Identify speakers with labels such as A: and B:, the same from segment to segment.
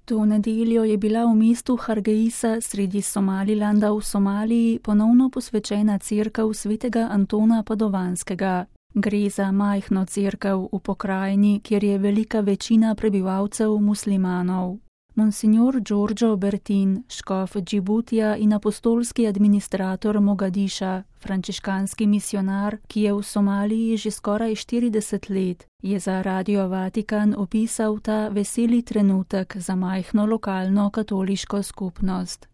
A: To nedeljo je bila v mestu Hargeisa sredi Somalilanda v Somaliji ponovno posvečena cerkev svetega Antona Padovanskega. Gre za majhno cerkev v pokrajini, kjer je velika večina prebivalcev muslimanov. Monsignor Giorgio Bertin, škof Džibutija in apostolski administrator Mogadiša, frančiškanski misionar, ki je v Somaliji že skoraj 40 let, je za Radio Vatikan opisal ta veseli trenutek za majhno lokalno katoliško skupnost.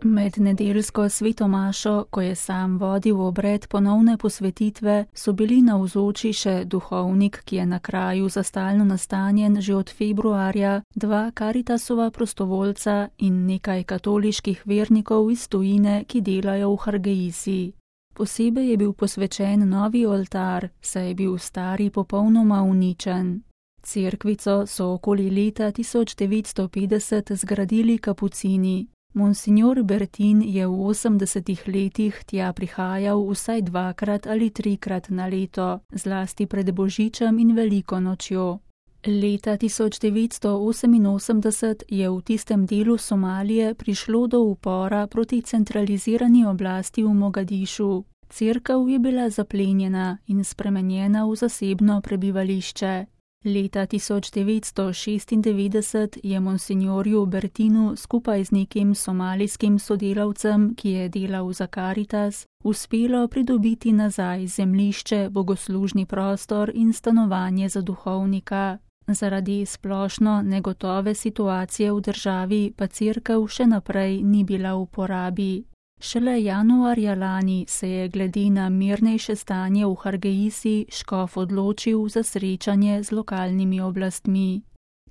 A: Med nedeljsko sveto mašo, ko je sam vodil obred ponovne posvetitve, so bili navzoči še duhovnik, ki je na kraju za stalno nastanjen že od februarja, 2 Caritasova prostovoljca in nekaj katoliških vernikov iz tujine, ki delajo v Hargeisi. Posebej je bil posvečen novi oltar, saj je bil stari popolnoma uničen. Cerkvico so okoli leta 1950 zgradili kapucini. Monsignor Bertin je v 80 letih tja prihajal vsaj 2 ali 3 na leto, zlasti pred Božičem in Veliko nočjo. Leta 1988 je v tistem delu Somalije prišlo do upora proti centralizirani oblasti v Mogadišu. Cerkev je bila zaplenjena in spremenjena v zasebno prebivališče. Leta 1996 je monsignorju Bertinu skupaj z nekim somalijskim sodelavcem, ki je delal za Caritas, uspelo pridobiti nazaj zemljišče, bogoslužni prostor in stanovanje za duhovnika. Zaradi splošno negotove situacije v državi pa cerkev še naprej ni bila v uporabi. Šele januarja lani se je glede na mirnejše stanje v Hargeisi škof odločil za srečanje z lokalnimi oblastmi.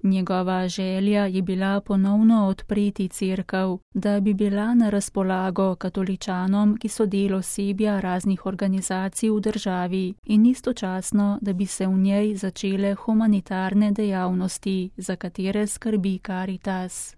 A: Njegova želja je bila ponovno odpreti cerkev, da bi bila na razpolago katoličanom, ki so del osebja raznih organizacij v državi, in istočasno, da bi se v njej začele humanitarne dejavnosti, za katere skrbi Caritas.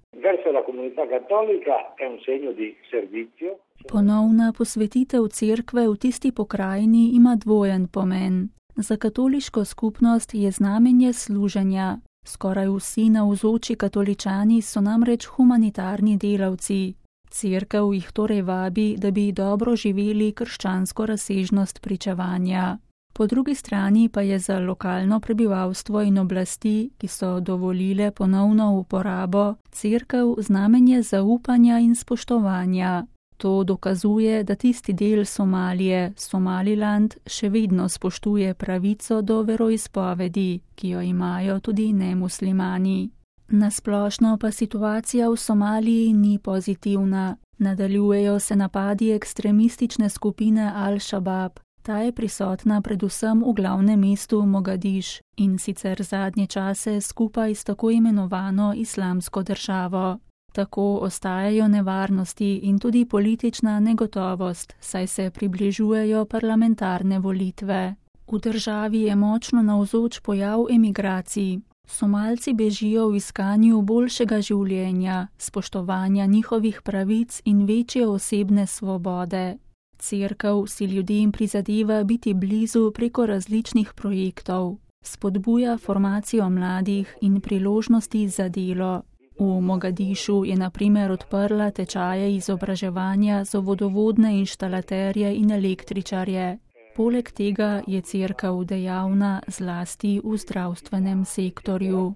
A: Ponovna posvetitev cerkve v tisti pokrajini ima dvojen pomen. Za katoliško skupnost je znamenje služenja. Skoraj vsi navzoči katoličani so namreč humanitarni delavci. Cerkev jih torej vabi, da bi dobro živeli krščansko razsežnost pričevanja. Po drugi strani pa je za lokalno prebivalstvo in oblasti, ki so dovolile ponovno uporabo, cerkev znamenje zaupanja in spoštovanja. To dokazuje, da tisti del Somalije, Somaliland, še vedno spoštuje pravico do veroizpovedi, ki jo imajo tudi nemuslimani. Nasplošno pa situacija v Somaliji ni pozitivna. Nadaljujejo se napadi ekstremistične skupine Al-Shabaab. Ta je prisotna predvsem v glavnem mestu Mogadiš in sicer zadnje čase skupaj s tako imenovano Islamsko državo. Tako ostajajo nevarnosti in tudi politična negotovost, saj se približujejo parlamentarne volitve. V državi je močno navzoč pojav emigracij. Somalci bežijo v iskanju boljšega življenja, spoštovanja njihovih pravic in večje osebne svobode. Cerkev si ljudem prizadeva biti blizu preko različnih projektov. Spodbuja formacijo mladih in priložnosti za delo. V Mogadišu je na primer odprla tečaje izobraževanja za vodovodne inštalaterje in električarje. Poleg tega je cerkev dejavna zlasti v zdravstvenem sektorju.